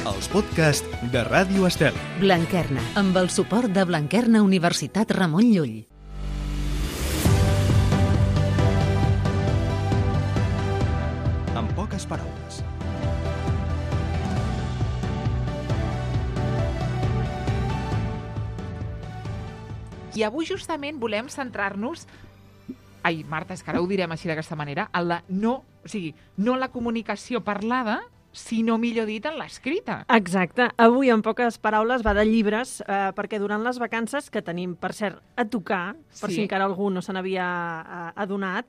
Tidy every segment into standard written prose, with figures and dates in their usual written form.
els podcasts de Ràdio Estel. Blanquerna, amb el suport de Blanquerna Universitat Ramon Llull. En poques paraules. I avui justament volem centrar-nos... Ai, Marta, és que ara ho direm així d'aquesta manera, en la no la comunicació parlada, sinó, millor dit, en l'escrita. Exacte. Avui, en poques paraules, va de llibres, perquè durant les vacances, que tenim, per cert, a tocar, per si encara algú no se n'havia adonat,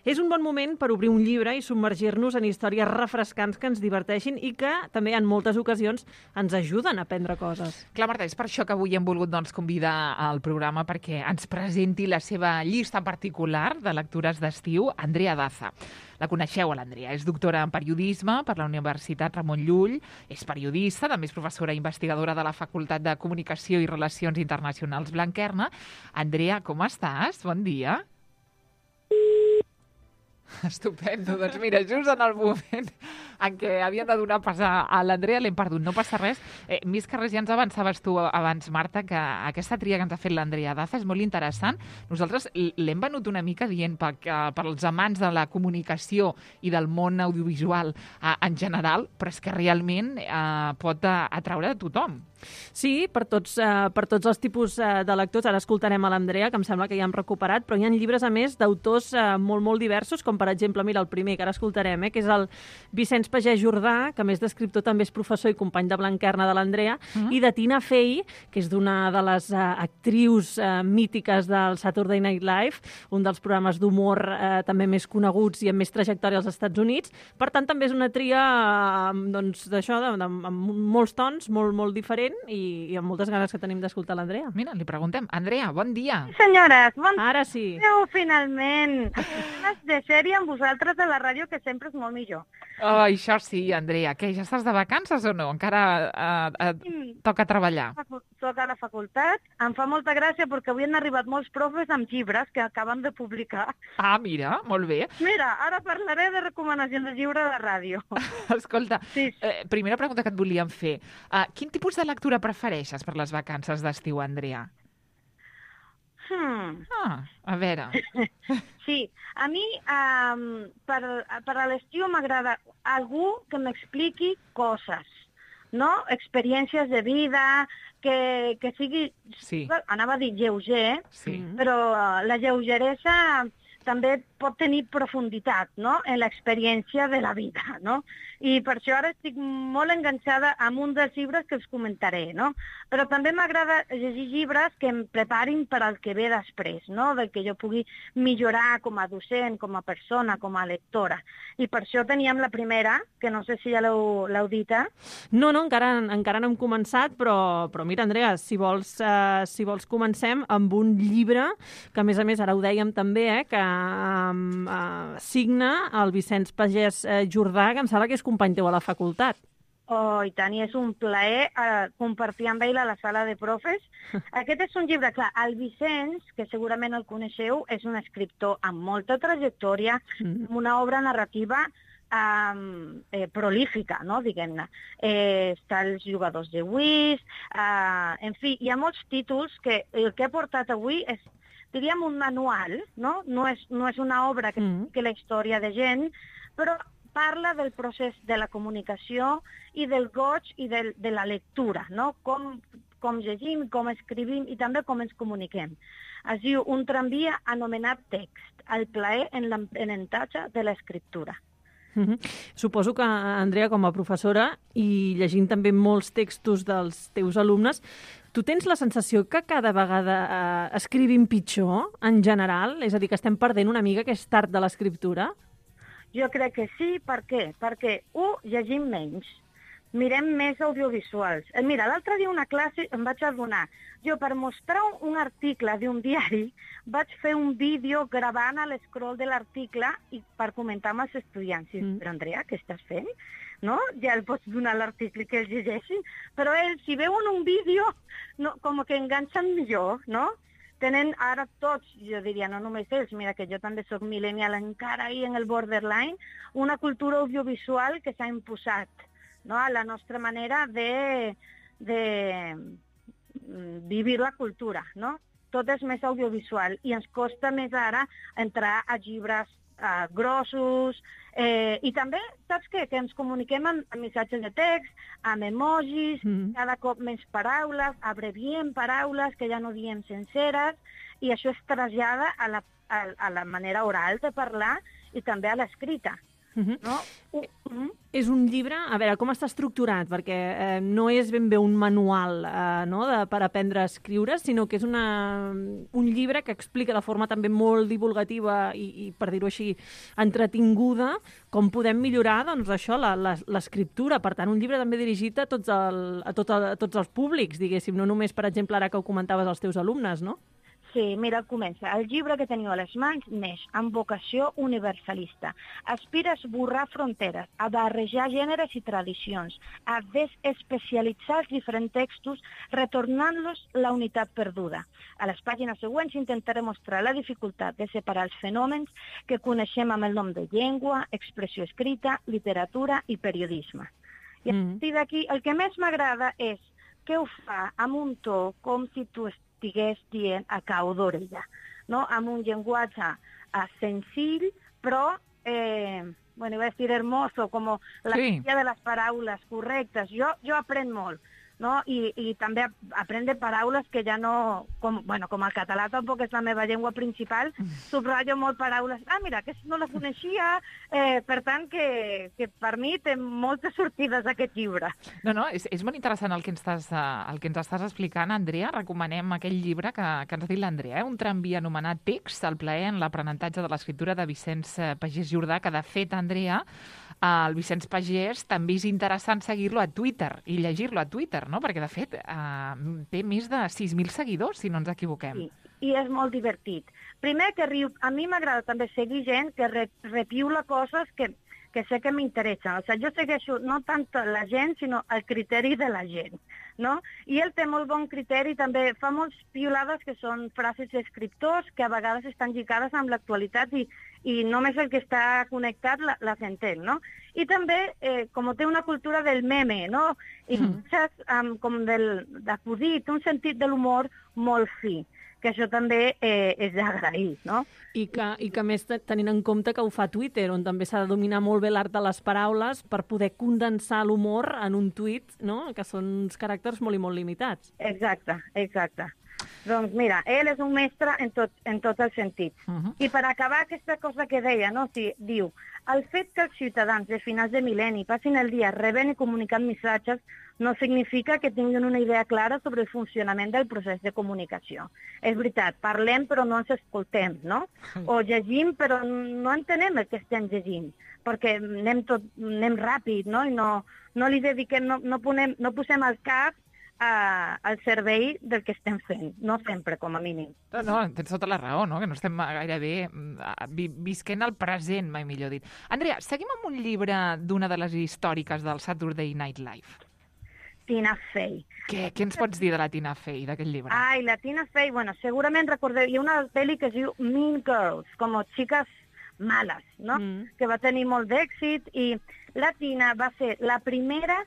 és un bon moment per obrir un llibre i submergir-nos en històries refrescants que ens diverteixin i que també en moltes ocasions ens ajuden a aprendre coses. Clar, Marta, és per això que avui hem volgut convidar al programa perquè ens presenti la seva llista particular de lectures d'estiu, Andrea Daza. La coneixeu, l'Andrea. És doctora en periodisme per la Universitat Ramon Llull, és periodista, també és professora i investigadora de la Facultat de Comunicació i Relacions Internacionals Blanquerna. Andrea, com estàs? Bon dia. Estupendo. Doncs mira, just en el moment en què havien de donar pas a l'Andrea l'hem perdut. No passa res. Més que res, ja ens avançaves tu abans, Marta, que aquesta tria que ens ha fet l'Andrea Daza és molt interessant. Nosaltres l'hem venut una mica dient per als amants de la comunicació i del món audiovisual en general, però és que realment pot atraure a tothom. Sí, per tots els tipus de lectors. Ara escoltarem a l'Andrea, que em sembla que ja hem recuperat, però hi ha llibres, a més, d'autors molt, molt diversos, com per exemple, mira, el primer que ara escoltarem, que és el Vicenç Pagès Jordà, que a més d'escriptor també és professor i company de Blanquerna de l'Andrea, i de Tina Fey, que és d'una de les actrius mítiques del Saturday Night Live, un dels programes d'humor també més coneguts i amb més trajectòria als Estats Units. Per tant, també és una tria d'això, amb molts tons, molt, molt diferent, i amb moltes ganes que tenim d'escoltar l'Andrea. Mira, li preguntem. Andrea, bon dia. Sí, senyores, bon dia. Ara sí. Finalment. Ganes de ser-hi amb vosaltres a la ràdio, que sempre és molt millor. Oh, això sí, Andrea. Què, ja estàs de vacances o no? Encara toca treballar. Toca a la facultat. Em fa molta gràcia perquè avui han arribat molts profes amb llibres que acaben de publicar. Ah, mira, molt bé. Mira, ara parlaré de recomanacions de llibre de ràdio. Escolta, primera pregunta que et volíem fer. Quin tipus de lectura prefereixes per les vacances d'estiu, Andrea? A veure. Sí, a mi per a l'estiu m'agrada algú que m'expliqui coses, no? Experiències de vida, que sigui, anava a dir lleuger, però la lleugeresa també pot tenir profunditat, no?, en l'experiència de la vida, no? I per això ara estic molt enganxada amb un dels llibres que us comentaré, no? Però també m'agrada llegir llibres que em preparin per al que ve després, no?, del que jo pugui millorar com a docent, com a persona, com a lectora. I per això teníem la primera, que no sé si ja l'heu dita. No, encara no hem començat, però mira, Andrea, si vols comencem amb un llibre que, a més, ara ho dèiem també, que signa el Vicenç Pagès Jordà, que em sembla que és company teu a la facultat. Oh, i tant, i és un plaer compartir amb ell a la sala de profes. Aquest és un llibre, clar, el Vicenç, que segurament el coneixeu, és un escriptor amb molta trajectòria, amb una obra narrativa prolífica, no?, diguem-ne. Està Els jugadors de whist, en fi, hi ha molts títols que el que he portat avui és, diríem, un manual, no? No és una obra que expliqui la història de gent, però parla del procés de la comunicació i del goig i de la lectura, no? Com llegim, com escrivim i també com ens comuniquem. Es diu Un tramvia anomenat text, el plaer en l'aprenentatge de l'escriptura. Suposo que, Andrea, com a professora i llegint també molts textos dels teus alumnes, tu tens la sensació que cada vegada escrivim pitjor, en general? És a dir, que estem perdent una mica aquest art de l'escriptura? Jo crec que sí. Per què? Perquè, llegim menys. Mirem més audiovisuals. Mira, l'altre dia una classe em vaig adonar. Jo, per mostrar un article d'un diari, vaig fer un vídeo gravant a l'escroll de l'article i per comentar amb els estudiants. Però, Andrea, què estàs fent? No? Ja el pots donar l'article que els llegeixin. Però ells, si veuen un vídeo, com que enganxen millor, no? Tenen ara tots, jo diria, no només ells, mira que jo també soc millennial encara ahí en el borderline, una cultura audiovisual que s'ha imposat no? A la nostra manera de vivir la cultura, no? Tot és més audiovisual i ens costa més ara entrar a llibres grossos i també, saps què? Que ens comuniquem amb missatges de text, amb emojis, cada cop més paraules, abreviem paraules que ja no diem senceres i això es trasllada a la manera oral de parlar i també a l'escrita. No? És un llibre, a veure, com està estructurat? Perquè no és ben bé un manual per aprendre a escriure, sinó que és un llibre que explica de forma també molt divulgativa i per dir-ho així, entretinguda, com podem millorar l'escriptura. Per tant, un llibre també dirigit a tots els públics, diguéssim, no només, per exemple, ara que ho comentaves als teus alumnes, no? Sí, mira, comença. El llibre que teniu a les mans neix amb vocació universalista. Aspira a esborrar fronteres, a barrejar gèneres i tradicions, a desespecialitzar els diferents textos, retornant-los la unitat perduda. A les pàgines següents intentaré mostrar la dificultat de separar els fenòmens que coneixem amb el nom de llengua, expressió escrita, literatura i periodisme. I a partir d'aquí, el que més m'agrada és que ho fa amb un to com si tu estigués dient a cau d'orella, no? Amb un llenguatge senzill, però, iba a dir hermoso, com la majoria de les paraules correctes. Jo aprenc molt, no? I també aprendre paraules que ja no... Com el català tampoc és la meva llengua principal, subratllo molt paraules. Mira, que no la coneixia, per tant, que per mi té moltes sortides aquest llibre. No, és molt interessant el que ens estàs explicant, Andrea. Recomanem aquell llibre que ens ha dit l'Andrea, un tramvia anomenat Text, el plaer en l'aprenentatge de l'escriptura de Vicenç Pagès Jordà, que de fet, Andrea, el Vicenç Pagès també és interessant seguir-lo a Twitter i llegir-lo a Twitter, no? Perquè, de fet, té més de 6.000 seguidors, si no ens equivoquem. Sí, i és molt divertit. Primer, que riu. A mi m'agrada també seguir gent que repiula coses que sé que m'interessen. O sigui, jo segueixo no tant la gent, sinó el criteri de la gent, no? I ell té molt bon criteri, també fa molts piulades que són frases d'escriptors que a vegades estan lligades amb l'actualitat i només el que està connectat les entén, no? I també, com té una cultura del meme, no? I com d'acudit, un sentit de l'humor molt fi, que això també és d'agrair, no? I que més tenint en compte que ho fa Twitter, on també s'ha de dominar molt bé l'art de les paraules per poder condensar l'humor en un tuit, no? Que són uns caràcters molt i molt limitats. Exacte. Doncs mira, ell és un mestre en tots els sentits. I per acabar aquesta cosa que deia, no? Diu, el fet que els ciutadans de finals de mil·lenni passin el dia rebent i comunicant missatges no significa que tinguin una idea clara sobre el funcionament del procés de comunicació. És veritat, parlem però no ens escoltem, no? O llegim però no entenem el que estem llegint, perquè anem ràpid, no? I no li dediquem, no posem el cap al servei del que estem fent, no sempre, com a mínim. No, tens tota la raó, no? Que no estem gairebé visquent el present, mai millor dit. Andrea, seguim amb un llibre d'una de les històriques del Saturday Night Live. Tina Fey. Què ens pots dir de la Tina Fey, d'aquest llibre? La Tina Fey, segurament recordeu, hi ha una pel·li que es diu Mean Girls, com xiques males, no? Que va tenir molt d'èxit i la Tina va ser la primera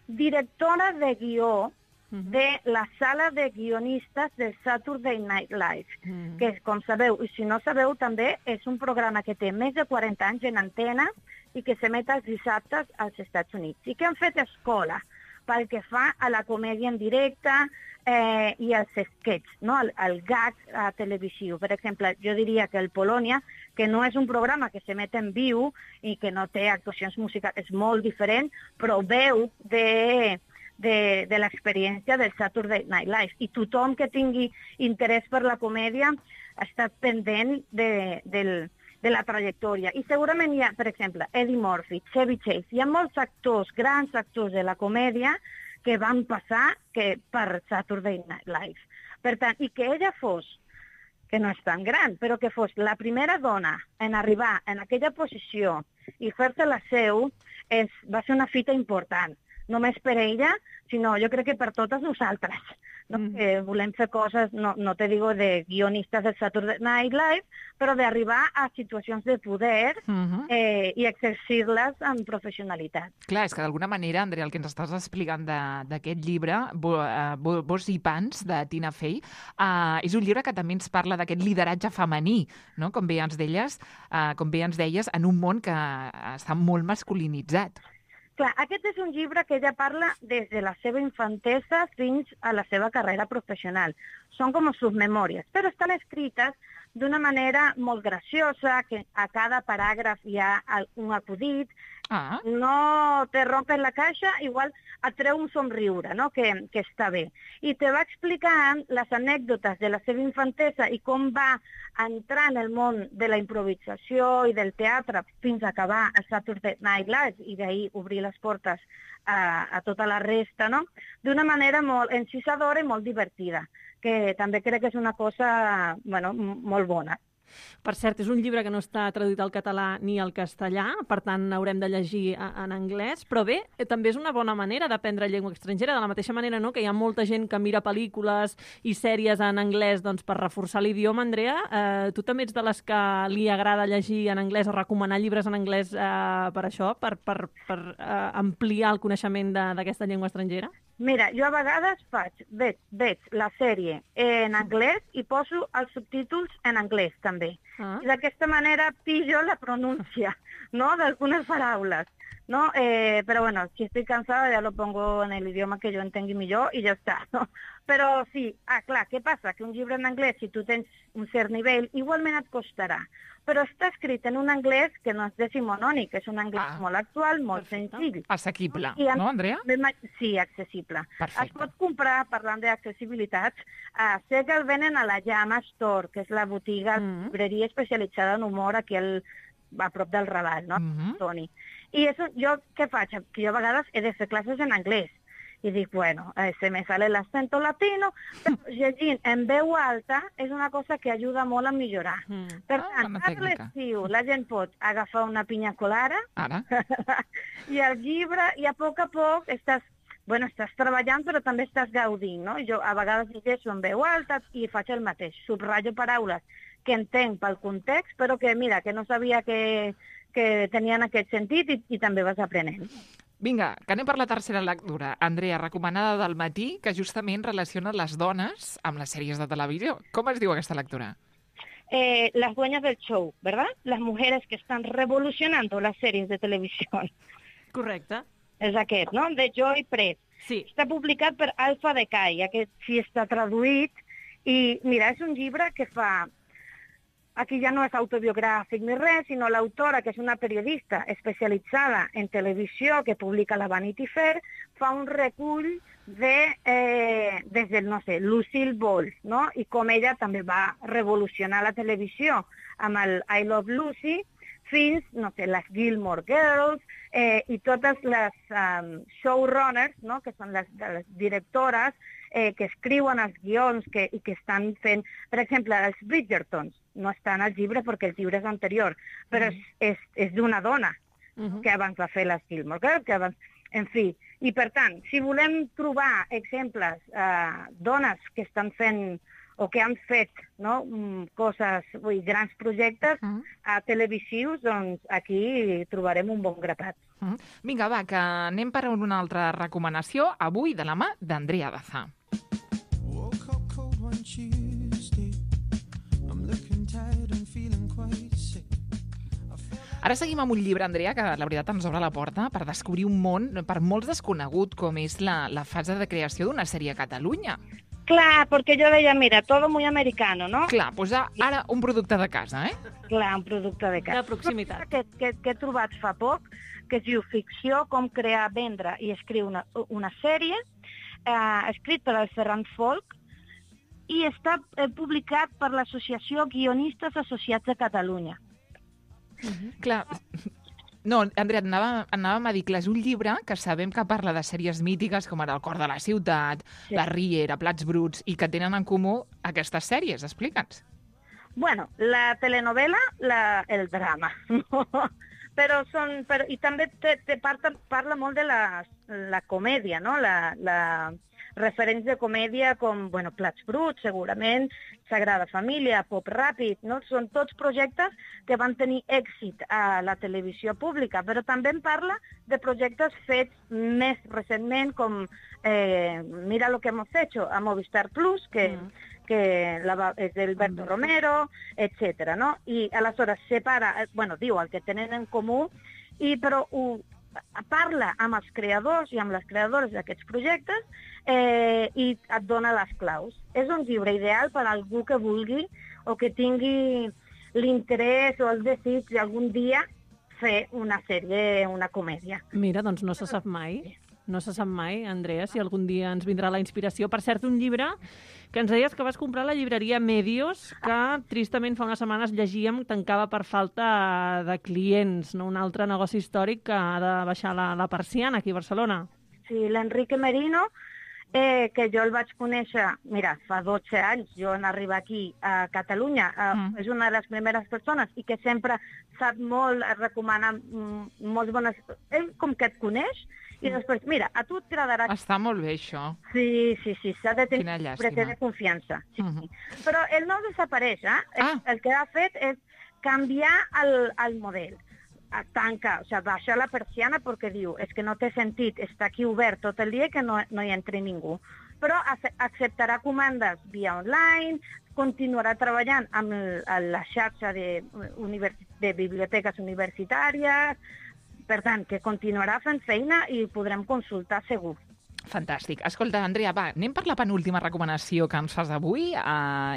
directora de guió de la sala de guionistes del Saturday Night Live, que, com sabeu, i si no sabeu, també és un programa que té més de 40 anys en antena i que s'emet els dissabtes als Estats Units. I que han fet escola pel que fa a la comèdia en directe i als sketches, no? El gag televisiu. Per exemple, jo diria que el Polònia, que no és un programa que s'emet en viu i que no té actuacions musicals, és molt diferent, però veu de l'experiència del Saturday Night Live. I tothom que tingui interès per la comèdia ha estat pendent de la trajectòria. I segurament hi ha, per exemple, Eddie Murphy, Chevy Chase, hi ha molts actors, grans actors de la comèdia que van passar per Saturday Night Live. Per tant, i que ella fos, que no és tan gran, però que fos la primera dona en arribar en aquella posició i fer-se la seu, va ser una fita important. Només per ella, sinó jo crec que per totes nosaltres, no? Que volem fer coses, no te digo de guionistes del Saturday Night Live, però d'arribar a situacions de poder i exercir-les amb professionalitat. Clar, és que d'alguna manera, Andrea, el que ens estàs explicant d'aquest llibre, Bos i Pans, de Tina Fey, és un llibre que també ens parla d'aquest lideratge femení, no? Com bé ens deies, en un món que està molt masculinitzat. Clar, aquest és un llibre que ella parla des de la seva infantesa fins a la seva carrera professional. Són com sus memòries, però estan escrites d'una manera molt graciosa, que a cada paràgraf hi ha un acudit, no te rompes la caixa, igual et treu un somriure, no? que està bé. I te va explicant les anècdotes de la seva infantesa i com va entrar en el món de la improvisació i del teatre fins a acabar a Saturday Night Live i d'ahir obrir les portes a tota la resta, no? D'una manera molt encisadora i molt divertida, que també crec que és una cosa molt bona. Per cert, és un llibre que no està traduït al català ni al castellà, per tant haurem de llegir en anglès, però bé, també és una bona manera d'aprendre llengua estrangera, de la mateixa manera que hi ha molta gent que mira pel·lícules i sèries en anglès per reforçar l'idioma. Andrea, tu també ets de les que li agrada llegir en anglès o recomanar llibres en anglès per això, per ampliar el coneixement d'aquesta llengua estrangera? Mira, jo a vegades veig la sèrie en anglès i poso els subtítols en anglès també. I d'aquesta manera pillo la pronúncia, no?, d'algunes paraules, no? Però bueno, si estoy cansada ya lo pongo en el idioma que yo entengui millor i ja està, no? Però sí, clar, què passa? Que un llibre en anglès, si tu tens un cert nivell, igualment et costarà. Però està escrit en un anglès que no és decimonònic, és un anglès molt actual, molt senzill. Assequible, no, Andrea? Sí, accessible. Perfecte. Es pot comprar, parlant d'accessibilitats, sé que el venen a la Llama Store, que és la botiga, llibreria especialitzada en humor aquí a prop del Raval, no? Toni. I jo què faig? Que jo a vegades he de fer classes en anglès. I dic, bueno, se me sale el acento latino, però llegint en veu alta és una cosa que ajuda molt a millorar. Per tant, a l'estiu la gent pot agafar una pinya colada i el llibre, i a poc estàs treballant però també estàs gaudint, no? Jo a vegades llegeixo en veu alta i faig el mateix, subratllo paraules que entenc pel context, però que mira, que no sabia que tenien aquest sentit i també vas aprenent. Vinga, que anem per la tercera lectura. Andrea, recomanada del matí, que justament relaciona les dones amb les sèries de televisió. Com es diu aquesta lectura? Las dueñas del show, ¿verdad? Las mujeres que están revolucionando las series de televisión. Correcte. És aquest, no? De Joy Press. Sí. Està publicat per Alfa Decay, aquest sí està traduït. I mira, és un llibre que fa... Aquí ja no és autobiogràfic ni res, sinó l'autora, que és una periodista especialitzada en televisió que publica la Vanity Fair, fa un recull des del, Lucille Ball, no? I com ella també va revolucionar la televisió amb el I Love Lucy, fins, les Gilmore Girls i totes les showrunners, no? Que són les directores que escriuen els guions i que estan fent... Per exemple, els Bridgertons no estan al llibre perquè el llibre és anterior, però és d'una dona que abans va fer les Gilmore Girls, en fi. I per tant, si volem trobar exemples, dones que estan fent o que han fet coses, grans projectes televisius, doncs aquí trobarem un bon grapat. Vinga, va, que anem per una altra recomanació, avui de la mà d'Andrea Daza. Ara seguim amb un llibre, Andrea, que la veritat ens obre la porta per descobrir un món per molts desconegut, com és la fase de creació d'una sèrie a Catalunya. Clar, perquè jo deia, mira, todo muy americano, no? Clar, doncs ara un producte de casa, eh? Clar, un producte de casa. De proximitat. Que he trobat fa poc, que es diu Ficció, com crear, vendre i escriure una sèrie, escrit per el Ferran Folk, i està publicat per l'Associació Guionistes Associats de Catalunya. Clar, no, Andrea, anàvem a dir que és un llibre que sabem que parla de sèries mítiques com ara El cor de la ciutat, La Riera, Plats bruts, i que tenen en comú aquestes sèries. Explica'ns. Bueno, la telenovela, el drama, no? Però i també parla molt de la comèdia, no? referents de comèdia com, Plats Bruts, segurament, Sagrada Família, Pop Ràpid, no? Són tots projectes que van tenir èxit a la televisió pública, però també en parla de projectes fets més recentment, com Mira lo que hemos hecho, a Movistar Plus, que és d'Alberto Romero, etc. No? I aleshores separa, diu el que tenen en comú, però parla amb els creadors i amb les creadores d'aquests projectes i et dona les claus. És un llibre ideal per a algú que vulgui o que tingui l'interès o el desig d'algun dia fer una sèrie, una comèdia. Mira, doncs no se sap mai. No se sap mai, Andrea, si algun dia ens vindrà la inspiració. Per cert, un llibre que ens deies que vas comprar a la llibreria Medios, que tristament fa unes setmanes llegíem tancava per falta de clients, no? Un altre negoci històric que ha de baixar la persiana aquí a Barcelona. Sí, l'Enrique Merino, que jo el vaig conèixer, mira, fa 12 anys, jo en arribar aquí a Catalunya, és una de les primeres persones i que sempre sap molt, recomana molt bones... Ell com que et coneix, i després, mira, a tu t'agradarà... Està molt bé, això. Sí, s'ha de tenir de confiança. Sí. Però ell no desapareix, El que ha fet és canviar el model. Tanca, baixa la persiana perquè diu, és que no té sentit estar aquí obert tot el dia que no hi entri ningú. Però acceptarà comandes via online, continuarà treballant amb la xarxa de biblioteques universitàries. Per tant, que continuarà fent feina i podrem consultar segur. Fantàstic. Escolta, Andrea, va, anem per la penúltima recomanació que ens fas avui.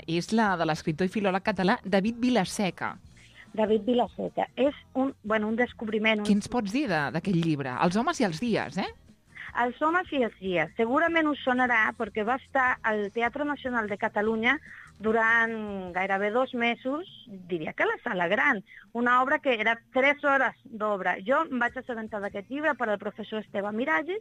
És la de l'escriptor i filòleg català David Vilaseca. David Vilaseca. És un descobriment. Què ens pots dir d'aquest llibre? Els homes i els dies, Els homes i els dies. Segurament us sonarà perquè va estar al Teatre Nacional de Catalunya durant gairebé 2 mesos, diria que a la Sala Gran, una obra que era 3 hores d'obra. Jo em vaig assabentar d'aquest llibre per al professor Esteve Miralles,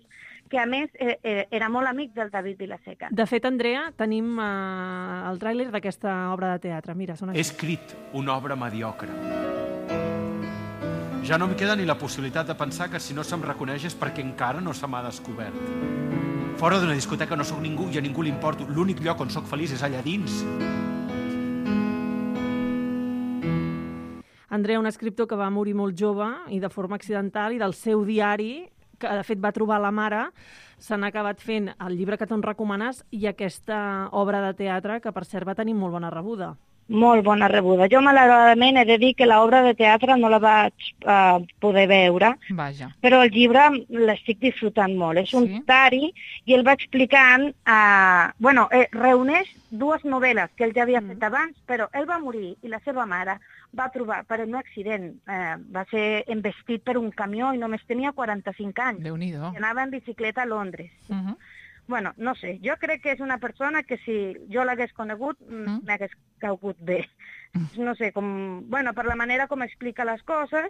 que a més era molt amic del David Vilaseca. De fet, Andrea, tenim el tràiler d'aquesta obra de teatre. Mira, sona He escrit una obra mediocre. Ja no em queda ni la possibilitat de pensar que si no se'm reconeix és perquè encara no se m'ha descobert. Fora d'una discoteca no sóc ningú i a ningú li importo. L'únic lloc on sóc feliç és allà dins. Andrea, un escriptor que va morir molt jove i de forma accidental, i del seu diari, que de fet va trobar la mare, se n'ha acabat fent el llibre que tu ens recomanes i aquesta obra de teatre que, per cert, va tenir molt bona rebuda. Molt bona rebuda. Jo, malauradament, he de dir que l'obra de teatre no la vaig poder veure, Vaja. Però el llibre l'estic disfrutant molt. És un diari i ell va explicant... reuneix 2 novel·les que ell ja havia fet abans, però ell va morir i la seva mare va trobar, per un accident, va ser embestit per un camió i només tenia 45 anys. Déu-n'hi-do. I anava en bicicleta a Londres. No sé, jo crec que és una persona que si jo l'hagués conegut m'hagués caigut bé. No sé, per la manera com explica les coses,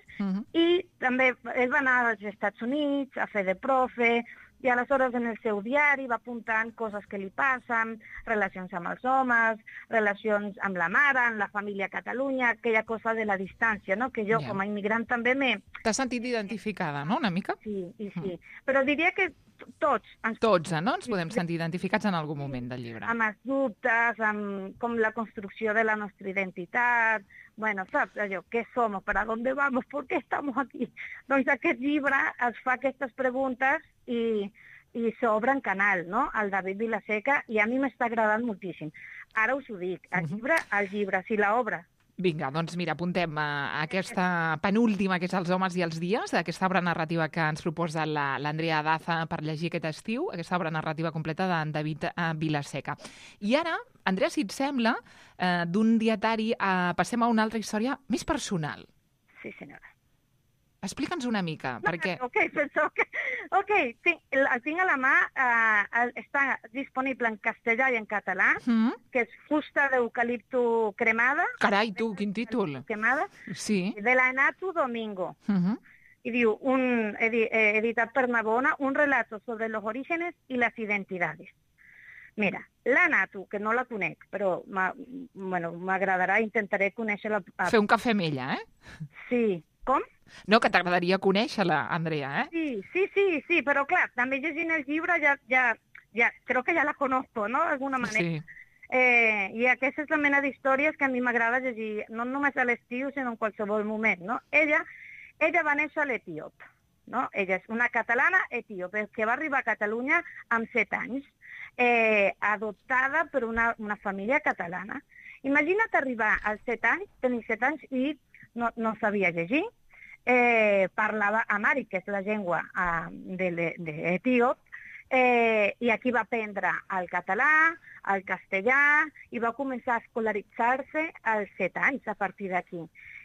i també ell va anar als Estats Units a fer de profe, i aleshores en el seu diari va apuntant coses que li passen, relacions amb els homes, relacions amb la mare, amb la família a Catalunya, aquella cosa de la distància, no? Que jo com a immigrant també T'has sentit identificada, no?, una mica? Sí. Però diria que tots, no? Ens podem sentir identificats en algun moment del llibre. Amb els dubtes, amb com la construcció de la nostra identitat, saps allò, què som, per a dónde vamos, por qué estamos aquí? Doncs aquest llibre es fa aquestes preguntes i s'obre en canal, no?, el David Vilaseca, i a mi m'està agradant moltíssim. Ara us ho dic, el llibre, sí, l'obra. Vinga, doncs mira, apuntem aquesta penúltima, que és Els homes i els dies, aquesta obra narrativa que ens proposa l'Andrea Daza per llegir aquest estiu, aquesta obra narrativa completa d'en David Vilaseca. I ara, Andrea, si et sembla, d'un dietari passem a una altra història més personal. Sí, senyora. Explica'ns una mica, perquè... Ok, el tinc a la mà, està disponible en castellà i en català, que és Fusta d'eucalipto cremada. Carai, tu, quin títol! Cremada. Sí. De la Natu Domingo. Y diu, editat per Navona, un relato sobre los orígenes y las identidades. Mira, la Natu, que no la conec, però m'agradarà, intentaré conèixer-la... Fer un cafè amb ella, Sí. Com? No, que t'agradaria conèixer-la, Andrea, Sí, però clar, també llegint el llibre ja ja, creo que ja la conozco, no?, d'alguna manera. Sí. I aquesta és la mena d'històries que a mi m'agrada llegir, no només a l'estiu, sinó en qualsevol moment, no? Ella va néixer a l'Etiop, no? Ella és una catalana etíope que va arribar a Catalunya amb 7 anys, adoptada per una família catalana. Imagina't arribar als 7 anys, tenir 7 anys i no sabia llegir, parlava amhàric, que és la llengua d'etíop, i aquí va aprendre el català, el castellà, i va començar a escolaritzar-se als 7 anys a partir d'aquí.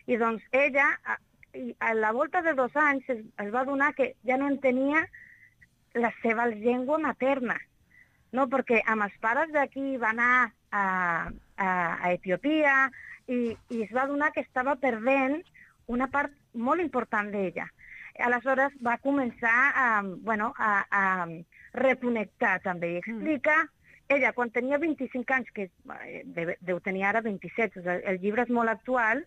I doncs ella, a la volta de 2 anys, es va adonar que ja no entenia la seva llengua materna, no? Perquè amb els pares d'aquí va anar a Etiòpia i es va adonar que estava perdent una part molt important d'ella. Aleshores va començar a reconnectar també. I explica, ella quan tenia 25 anys, que deu tenir ara 27, el llibre és molt actual,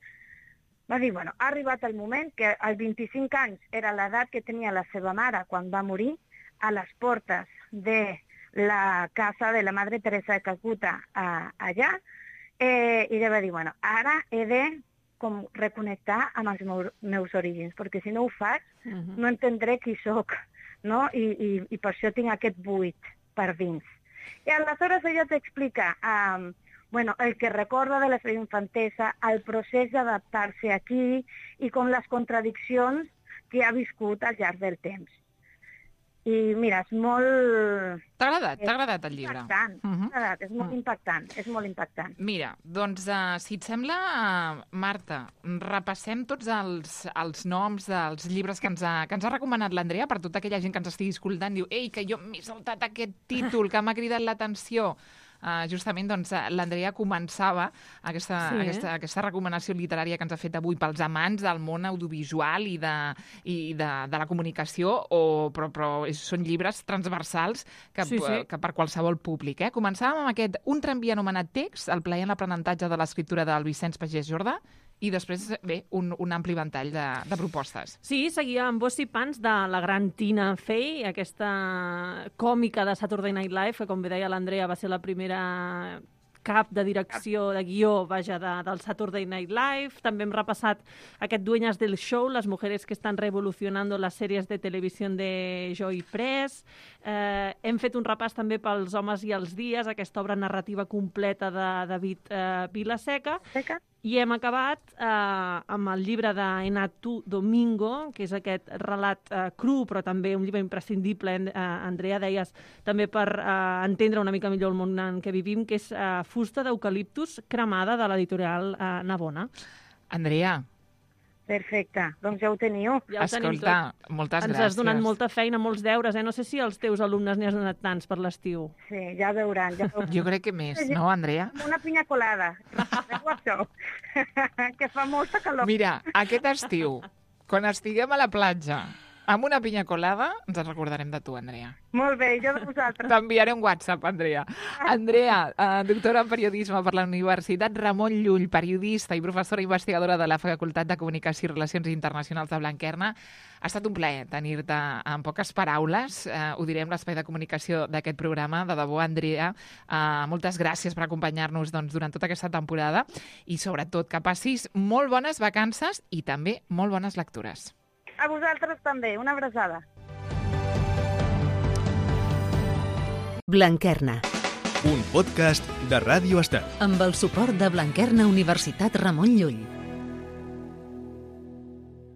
va dir, ha arribat el moment que als 25 anys era l'edat que tenia la seva mare quan va morir, a les portes de la casa de la Madre Teresa de Calcuta allà, i ella va dir, ara he de reconnectar amb els meus orígens, perquè si no ho faig no entendré qui sóc, no? I per això tinc aquest buit per dins. I aleshores ella t'explica el que recorda de la seva infantesa, el procés d'adaptar-se aquí i com les contradiccions que ha viscut al llarg del temps. I mira, és molt... T'ha agradat el llibre? Impactant, m'ha agradat, és molt impactant, és molt impactant. Mira, doncs, si et sembla, Marta, repassem tots els noms dels llibres que ens ha recomanat l'Andrea, per tota aquella gent que ens estigui escoltant, diu, ei, que jo m'he saltat aquest títol que m'ha cridat l'atenció. Justament, doncs, l'Andrea començava aquesta recomanació literària que ens ha fet avui pels amants del món audiovisual i de la comunicació, però són llibres transversals que per qualsevol públic. Començàvem amb aquest Un tramvia anomenat Text, el plaer en l'aprenentatge de l'escriptura del Vicenç Pagès Jordà, i després, un ampli ventall de propostes. Sí, seguia amb Boss i Pans de la gran Tina Fey, aquesta còmica de Saturday Night Live, que, com bé deia l'Andrea, va ser la primera cap de direcció, de guió, del Saturday Night Live. També hem repassat aquest Dueñas del Show, les mujeres que estan revolucionando les sèries de televisió de Joy Press. Hem fet un repàs també pels Homes i els dies, aquesta obra narrativa completa de David Vilaseca. I hem acabat amb el llibre d'Enatu Domingo, que és aquest relat cru, però també un llibre imprescindible, Andrea, deies, també per entendre una mica millor el món en què vivim, que és Fusta d'eucaliptus cremada, de l'editorial Navona. Andrea. Perfecte, doncs ja ho teniu. Escolta, moltes gràcies. Ens has donat molta feina, molts deures, No sé si als teus alumnes n'hi has donat tants per l'estiu. Sí, ja veuran. Jo crec que més, no, Andrea? Una pinya colada. Recordeu això? Que fa molta calor. Mira, aquest estiu, quan estiguem a la platja amb una pinya colada, ens en recordarem de tu, Andrea. Molt bé, jo de vosaltres. T'enviaré un WhatsApp, Andrea. Andrea, doctora en periodisme per la Universitat Ramon Llull, periodista i professora investigadora de la Facultat de Comunicació i Relacions Internacionals de Blanquerna. Ha estat un plaer tenir-te en poques paraules. Ho direm, l'espai de comunicació d'aquest programa. De debò, Andrea, moltes gràcies per acompanyar-nos durant tota aquesta temporada i, sobretot, que passis molt bones vacances i també molt bones lectures. A vosaltres també, una abraçada. Blanquerna. Un podcast de Ràdio Estel. Amb el suport de Blanquerna Universitat Ramon Llull.